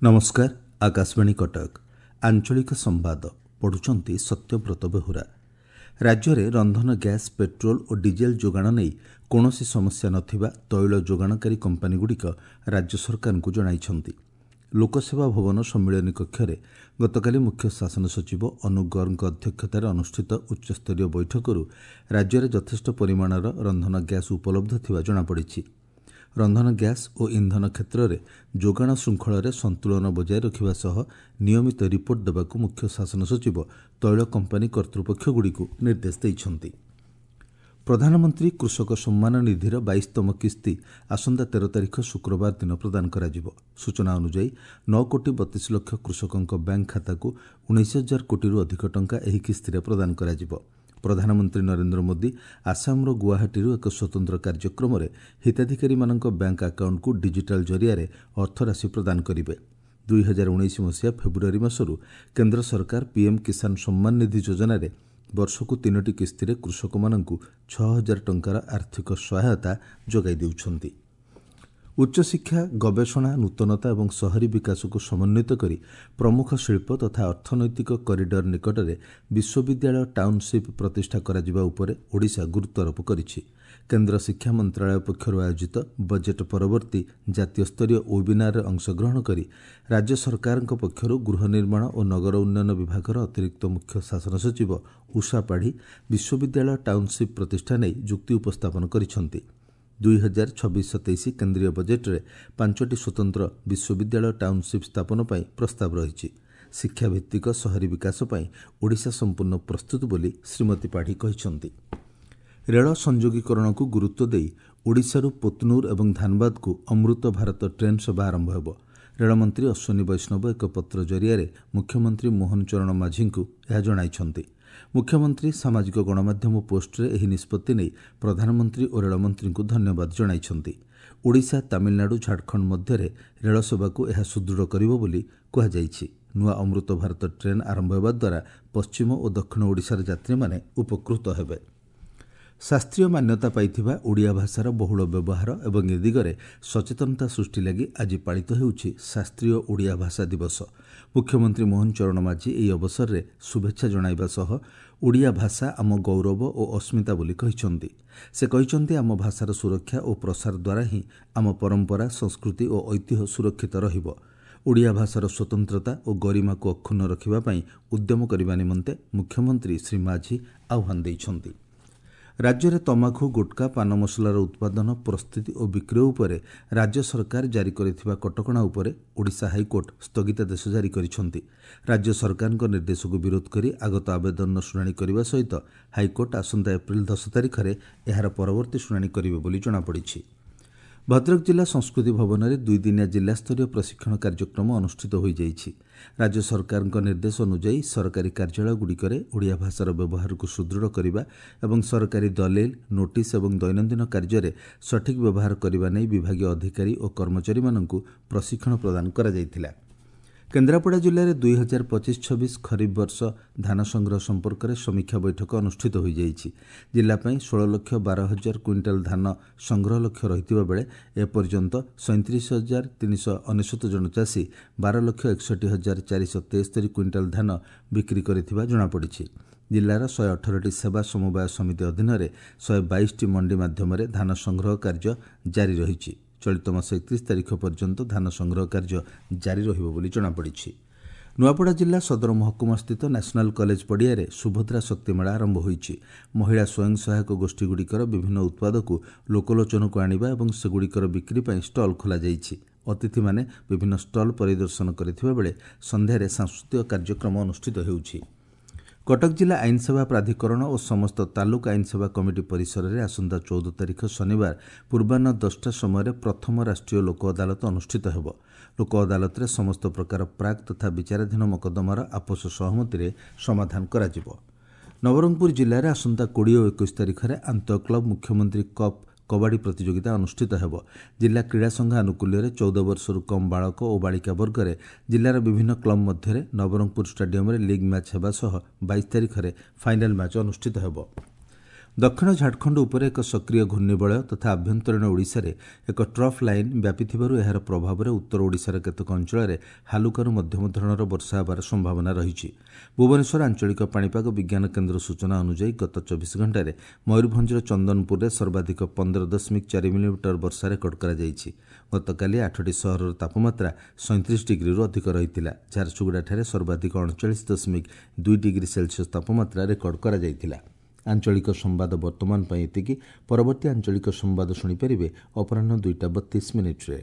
ନମସ୍କାର, ଆକାଶବାଣୀ କଟକ। ଆଞ୍ଚଳିକ ସମ୍ବାଦ ପଢ଼ୁଛନ୍ତି ସତ୍ୟବ୍ରତ ବେହୁରା। ରାଜ୍ୟରେ ରନ୍ଧନ ଗ୍ୟାସ୍, ପେଟ୍ରୋଲ ଓ ଡିଜେଲ ଯୋଗାଣ ନେଇ କୌଣସି ସମସ୍ୟା ନଥିବା ତୈଳ ଯୋଗାଣକାରୀ କମ୍ପାନୀଗୁଡ଼ିକ ରାଜ୍ୟ ସରକାରଙ୍କୁ ଜଣାଇଛନ୍ତି। ଲୋକସେବା ଭବନ ସମ୍ମିଳନୀ କକ୍ଷରେ ଗତକାଲି ମୁଖ୍ୟ ଶାସନ ସଚିବ ଅନୁ ଗର୍ଗଙ୍କ ଅଧ୍ୟକ୍ଷତାରେ ଅନୁଷ୍ଠିତ ଉଚ୍ଚସ୍ତରୀୟ ବୈଠକରୁ ରାଜ୍ୟରେ ଯଥେଷ୍ଟ ପରିମାଣର ରନ୍ଧନ ଗ୍ୟାସ୍ ଉପଲବ୍ଧ ଥିବା ଜଣାପଡ଼ିଛି। ରନ୍ଧନ ଗ୍ୟାସ୍ ଓ ଇନ୍ଧନ କ୍ଷେତ୍ରରେ ଯୋଗାଣ ଶୃଙ୍ଖଳରେ ସନ୍ତୁଳନ ବଜାୟ ରଖିବା ସହ ନିୟମିତ ରିପୋର୍ଟ ଦେବାକୁ ମୁଖ୍ୟ ଶାସନ ସଚିବ ତୈଳ କମ୍ପାନୀ କର୍ତ୍ତୃପକ୍ଷଗୁଡ଼ିକୁ ନିର୍ଦ୍ଦେଶ ଦେଇଛନ୍ତି। ପ୍ରଧାନମନ୍ତ୍ରୀ କୃଷକ ସମ୍ମାନ ନିଧିର 22ତମ କିସ୍ତି ଆସନ୍ତା 13 ତାରିଖ ଶୁକ୍ରବାର ଦିନ ପ୍ରଦାନ କରାଯିବ। ସୂଚନା ଅନୁଯାୟୀ 9 କୋଟି 32 ଲକ୍ଷ କୃଷକଙ୍କ ବ୍ୟାଙ୍କ ଖାତାକୁ 19 ହଜାର କୋଟିରୁ ଅଧିକ ଟଙ୍କା ଏହି କିସ୍ତିରେ ପ୍ରଦାନ କରାଯିବ। ପ୍ରଧାନମନ୍ତ୍ରୀ ନରେନ୍ଦ୍ର ମୋଦି ଆସାମର ଗୁଆହାଟୀରୁ ଏକ ସ୍ୱତନ୍ତ୍ର କାର୍ଯ୍ୟକ୍ରମରେ ହିତାଧିକାରୀମାନଙ୍କ ବ୍ୟାଙ୍କ ଆକାଉଣ୍ଟକୁ ଡିଜିଟାଲ ଜରିଆରେ ଅର୍ଥରାଶି ପ୍ରଦାନ କରିବେ। 2019 ମସିହା ଫେବୃଆରୀ ମାସରୁ କେନ୍ଦ୍ର ସରକାର ପିଏମ୍ କିଷାନ ସମ୍ମାନ ନିଧି ଯୋଜନାରେ ବର୍ଷକୁ 3ଟି କିସ୍ତିରେ କୃଷକମାନଙ୍କୁ 6 ହଜାର ଟଙ୍କାର ଆର୍ଥିକ ସହାୟତା ଯୋଗାଇ ଦେଉଛନ୍ତି। ଉଚ୍ଚଶିକ୍ଷା, ଗବେଷଣା, ନୂତନତା ଏବଂ ସହରୀ ବିକାଶକୁ ସମନ୍ୱିତ କରି ପ୍ରମୁଖ ଶିଳ୍ପ ତଥା ଅର୍ଥନୈତିକ କରିଡର ନିକଟରେ ବିଶ୍ୱବିଦ୍ୟାଳୟ ଟାଉନସିପ୍ ପ୍ରତିଷ୍ଠା କରାଯିବା ଉପରେ ଓଡ଼ିଶା ଗୁରୁତ୍ୱାରୋପ କରିଛି। କେନ୍ଦ୍ର ଶିକ୍ଷା ମନ୍ତ୍ରଣାଳୟ ପକ୍ଷରୁ ଆୟୋଜିତ ବଜେଟ୍ ପରବର୍ତ୍ତୀ ଜାତୀୟ ସ୍ତରୀୟ ୱେବିନାରରେ ଅଂଶଗ୍ରହଣ କରି ରାଜ୍ୟ ସରକାରଙ୍କ ପକ୍ଷରୁ ଗୃହ ନିର୍ମାଣ ଓ ନଗର ଉନ୍ନୟନ ବିଭାଗର ଅତିରିକ୍ତ ମୁଖ୍ୟ ଶାସନ ସଚିବ ଉଷା ପାଢ଼ୀ ବିଶ୍ୱବିଦ୍ୟାଳୟ ଟାଉନସିପ୍ ପ୍ରତିଷ୍ଠା ନେଇ ଯୁକ୍ତି ଉପସ୍ଥାପନ କରିଛନ୍ତି। 2026-27 କେନ୍ଦ୍ରୀୟ ବଜେଟ୍ରେ 5ଟି ସ୍ୱତନ୍ତ୍ର ବିଶ୍ୱବିଦ୍ୟାଳୟ ଟାଉନସିପ୍ ସ୍ଥାପନ ପାଇଁ ପ୍ରସ୍ତାବ ରହିଛି। ଶିକ୍ଷାଭିତ୍ତିକ ସହରୀ ବିକାଶ ପାଇଁ ଓଡ଼ିଶା ସମ୍ପୂର୍ଣ୍ଣ ପ୍ରସ୍ତୁତ ବୋଲି ଶ୍ରୀମତୀ ପାଢ଼ୀ କହିଛନ୍ତି। ରେଳ ସଂଯୋଗୀକରଣକୁ ଗୁରୁତ୍ୱ ଦେଇ ଓଡ଼ିଶାରୁ ପୋତନୁର ଏବଂ ଧାନବାଦକୁ ଅମୃତ ଭାରତ ଟ୍ରେନ୍ ସେବା ଆରମ୍ଭ ହେବ। ରେଳମନ୍ତ୍ରୀ ଅଶ୍ୱିନୀ ବୈଷ୍ଣବ ଏକ ପତ୍ର ଜରିଆରେ ମୁଖ୍ୟମନ୍ତ୍ରୀ ମୋହନ ଚରଣ ମାଝୀଙ୍କୁ ଏହା ଜଣାଇଛନ୍ତି। ମୁଖ୍ୟମନ୍ତ୍ରୀ ସାମାଜିକ ଗଣମାଧ୍ୟମ ପୋଷ୍ଟରେ ଏହି ନିଷ୍ପତ୍ତି ନେଇ ପ୍ରଧାନମନ୍ତ୍ରୀ ଓ ରେଳମନ୍ତ୍ରୀଙ୍କୁ ଧନ୍ୟବାଦ ଜଣାଇଛନ୍ତି। ଓଡ଼ିଶା, ତାମିଲନାଡୁ, ଝାଡ଼ଖଣ୍ଡ ମଧ୍ୟରେ ରେଳ ସେବାକୁ ଏହା ସୁଦୃଢ଼ କରିବ ବୋଲି କୁହାଯାଇଛି। ନୂଆ ଅମୃତ ଭାରତ ଟ୍ରେନ୍ ଆରମ୍ଭ ହେବା ଦ୍ୱାରା ପଶ୍ଚିମ ଓ ଦକ୍ଷିଣ ଓଡ଼ିଶାର ଯାତ୍ରୀମାନେ ଉପକୃତ ହେବେ। ଶାସ୍ତ୍ରୀୟ ମାନ୍ୟତା ପାଇଥିବା ଓଡ଼ିଆ ଭାଷାର ବହୁଳ ବ୍ୟବହାର ଏବଂ ଏ ଦିଗରେ ସଚେତନତା ସୃଷ୍ଟି ଲାଗି ଆଜି ପାଳିତ ହେଉଛି ଶାସ୍ତ୍ରୀୟ ଓଡ଼ିଆ ଭାଷା ଦିବସ। ମୁଖ୍ୟମନ୍ତ୍ରୀ ମୋହନ ଚରଣ ମାଝୀ ଏହି ଅବସରରେ ଶୁଭେଚ୍ଛା ଜଣାଇବା ସହ ଓଡ଼ିଆ ଭାଷା ଆମ ଗୌରବ ଓ ଅସ୍ମିତା ବୋଲି କହିଛନ୍ତି। ସେ କହିଛନ୍ତି, ଆମ ଭାଷାର ସୁରକ୍ଷା ଓ ପ୍ରସାର ଦ୍ୱାରା ହିଁ ଆମ ପରମ୍ପରା, ସଂସ୍କୃତି ଓ ଐତିହ୍ୟ ସୁରକ୍ଷିତ ରହିବ। ଓଡ଼ିଆ ଭାଷାର ସ୍ୱତନ୍ତ୍ରତା ଓ ଗରିମାକୁ ଅକ୍ଷୁଣ୍ଣ ରଖିବା ପାଇଁ ଉଦ୍ୟମ କରିବା ନିମନ୍ତେ ମୁଖ୍ୟମନ୍ତ୍ରୀ ଶ୍ରୀ ମାଝୀ ଆହ୍ୱାନ ଦେଇଛନ୍ତି। ରାଜ୍ୟରେ ତମାଖୁ, ଗୁଟ୍ଖା, ପାନ ମସଲାର ଉତ୍ପାଦନ, ପ୍ରସ୍ତୁତି ଓ ବିକ୍ରୟ ଉପରେ ରାଜ୍ୟ ସରକାର ଜାରି କରିଥିବା କଟକଣା ଉପରେ ଓଡ଼ିଶା ହାଇକୋର୍ଟ ସ୍ଥଗିତାଦେଶ ଜାରି କରିଛନ୍ତି। ରାଜ୍ୟ ସରକାରଙ୍କ ନିର୍ଦ୍ଦେଶକୁ ବିରୋଧ କରି ଆଗତ ଆବେଦନର ଶୁଣାଣି କରିବା ସହିତ ହାଇକୋର୍ଟ ଆସନ୍ତା ଏପ୍ରିଲ 10 ତାରିଖରେ ଏହାର ପରବର୍ତ୍ତୀ ଶୁଣାଣି କରିବେ ବୋଲି ଜଣାପଡ଼ିଛି। ଭଦ୍ରକ ଜିଲ୍ଲା ସଂସ୍କୃତି ଭବନରେ 2 ଦିନିଆ ଜିଲ୍ଲାସ୍ତରୀୟ ପ୍ରଶିକ୍ଷଣ କାର୍ଯ୍ୟକ୍ରମ ଅନୁଷ୍ଠିତ ହୋଇଯାଇଛି। ରାଜ୍ୟ ସରକାରଙ୍କ ନିର୍ଦ୍ଦେଶ ଅନୁଯାୟୀ ସରକାରୀ କାର୍ଯ୍ୟାଳୟଗୁଡ଼ିକରେ ଓଡ଼ିଆ ଭାଷାର ବ୍ୟବହାରକୁ ସୁଦୃଢ଼ କରିବା ଏବଂ ସରକାରୀ ଦଲିଲ, ନୋଟିସ୍ ଏବଂ ଦୈନନ୍ଦିନ କାର୍ଯ୍ୟରେ ସଠିକ୍ ବ୍ୟବହାର କରିବା ନେଇ ବିଭାଗୀୟ ଅଧିକାରୀ ଓ କର୍ମଚାରୀମାନଙ୍କୁ ପ୍ରଶିକ୍ଷଣ ପ୍ରଦାନ କରାଯାଇଥିଲା। କେନ୍ଦ୍ରାପଡ଼ା ଜିଲ୍ଲାରେ 2025-26 ଖରିଫ ବର୍ଷ ଧାନ ସଂଗ୍ରହ ସମ୍ପର୍କରେ ସମୀକ୍ଷା ବୈଠକ ଅନୁଷ୍ଠିତ ହୋଇଯାଇଛି। ଜିଲ୍ଲା ପାଇଁ 16,12,000 କୁଇଣ୍ଟାଲ ଧାନ ସଂଗ୍ରହ ଲକ୍ଷ୍ୟ ରହିଥିବା ବେଳେ ଏପର୍ଯ୍ୟନ୍ତ 37,399 ଜଣ ଚାଷୀ 12,61,473 କୁଇଣ୍ଟାଲ ଧାନ ବିକ୍ରି କରିଥିବା ଜଣାପଡ଼ିଛି। ଜିଲ୍ଲାର 118ଟି ସେବା ସମବାୟ ସମିତି ଅଧୀନରେ 122ଟି ମଣ୍ଡି ମାଧ୍ୟମରେ ଧାନ ସଂଗ୍ରହ କାର୍ଯ୍ୟ ଜାରି ରହିଛି। ଚଳିତ ମାସ 31 ତାରିଖ ପର୍ଯ୍ୟନ୍ତ ଧାନ ସଂଗ୍ରହ କାର୍ଯ୍ୟ ଜାରି ରହିବ ବୋଲି ଜଣାପଡ଼ିଛି। ନୂଆପଡ଼ା ଜିଲ୍ଲା ସଦର ମହକୁମାସ୍ଥିତ ନ୍ୟାସନାଲ କଲେଜ ପଡ଼ିଆରେ ସୁଭଦ୍ରା ଶକ୍ତି ମେଳା ଆରମ୍ଭ ହୋଇଛି। ମହିଳା ସ୍ୱୟଂ ସହାୟକ ଗୋଷ୍ଠୀଗୁଡ଼ିକର ବିଭିନ୍ନ ଉତ୍ପାଦକୁ ଲୋକଲୋଚନକୁ ଆଣିବା ଏବଂ ସେଗୁଡ଼ିକର ବିକ୍ରି ପାଇଁ ଷ୍ଟଲ୍ ଖୋଲାଯାଇଛି। ଅତିଥିମାନେ ବିଭିନ୍ନ ଷ୍ଟଲ୍ ପରିଦର୍ଶନ କରିଥିବା ବେଳେ ସନ୍ଧ୍ୟାରେ ସାଂସ୍କୃତିକ କାର୍ଯ୍ୟକ୍ରମ ଅନୁଷ୍ଠିତ ହେଉଛି। କଟକ ଜିଲ୍ଲା ଆଇନସେବା ପ୍ରାଧିକରଣ ଓ ସମସ୍ତ ତାଲୁକ ଆଇନସେବା କମିଟି ପରିସରରେ ଆସନ୍ତା 14 ତାରିଖ ଶନିବାର ପୂର୍ବାହ୍ନ 10ଟା ସମୟରେ ପ୍ରଥମ ରାଷ୍ଟ୍ରୀୟ ଲୋକ ଅଦାଲତ ଅନୁଷ୍ଠିତ ହେବ। ଲୋକ ଅଦାଲତରେ ସମସ୍ତ ପ୍ରକାର ପ୍ରାକ୍ ତଥା ବିଚାରାଧୀନ ମକଦ୍ଦମାର ଆପୋଷ ସହମତିରେ ସମାଧାନ କରାଯିବ। ନବରଙ୍ଗପୁର ଜିଲ୍ଲାରେ ଆସନ୍ତା 20 ଓ 21 ତାରିଖରେ ଆନ୍ତଃ କ୍ଲବ୍ ମୁଖ୍ୟମନ୍ତ୍ରୀ କପ୍ କବାଡ଼ି ପ୍ରତିଯୋଗିତା ଅନୁଷ୍ଠିତ ହେବ। ଜିଲ୍ଲା କ୍ରୀଡ଼ା ସଂଘ ଆନୁକୂଲ୍ୟରେ 14 ବର୍ଷରୁ କମ୍ ବାଳକ ଓ ବାଳିକା ବର୍ଗରେ ଜିଲ୍ଲାର ବିଭିନ୍ନ କ୍ଲବ୍ ମଧ୍ୟରେ ନବରଙ୍ଗପୁର ଷ୍ଟାଡିୟମରେ ଲିଗ୍ ମ୍ୟାଚ୍ ହେବା ସହ 22 ତାରିଖରେ ଫାଇନାଲ୍ ମ୍ୟାଚ୍ ଅନୁଷ୍ଠିତ ହେବ। ଦକ୍ଷିଣ ଝାଡ଼ଖଣ୍ଡ ଉପରେ ଏକ ସକ୍ରିୟ ଘୂର୍ଣ୍ଣିବଳୟ ତଥା ଆଭ୍ୟନ୍ତରୀଣ ଓଡ଼ିଶାରେ ଏକ ଟ୍ରଫ୍ ଲାଇନ୍ ବ୍ୟାପିଥିବାରୁ ଏହାର ପ୍ରଭାବରେ ଉତ୍ତର ଓଡ଼ିଶାର କେତେକ ଅଞ୍ଚଳରେ ହାଲୁକାରୁ ମଧ୍ୟମ ଧରଣର ବର୍ଷା ହେବାର ସମ୍ଭାବନା ରହିଛି। ଭୁବନେଶ୍ୱର ଆଞ୍ଚଳିକ ପାଣିପାଗ ବିଜ୍ଞାନ କେନ୍ଦ୍ର ସୂଚନା ଅନୁଯାୟୀ ଗତ 24 ଘଣ୍ଟାରେ ମୟୂରଭଞ୍ଜର ଚନ୍ଦନପୁରରେ ସର୍ବାଧିକ 15.4 ମିଲିମିଟର ବର୍ଷା ରେକର୍ଡ କରାଯାଇଛି। ଗତକାଲି 8ଟି ସହରର ତାପମାତ୍ରା 37 ଡିଗ୍ରୀରୁ ଅଧିକ ରହିଥିଲା। ଝାରସୁଗୁଡ଼ାଠାରେ ସର୍ବାଧିକ 39.2 ଡିଗ୍ରୀ ସେଲସିୟସ୍ ତାପମାତ୍ରା ରେକର୍ଡ କରାଯାଇଥିଲା। ଆଞ୍ଚଳିକ ସମ୍ବାଦ ବର୍ତ୍ତମାନ ପାଇଁ ଏତିକି। ପରବର୍ତ୍ତୀ ଆଞ୍ଚଳିକ ସମ୍ବାଦ ଶୁଣିପାରିବେ ଅପରାହ୍ନ 2ଟା 32 ମିନିଟ୍ରେ।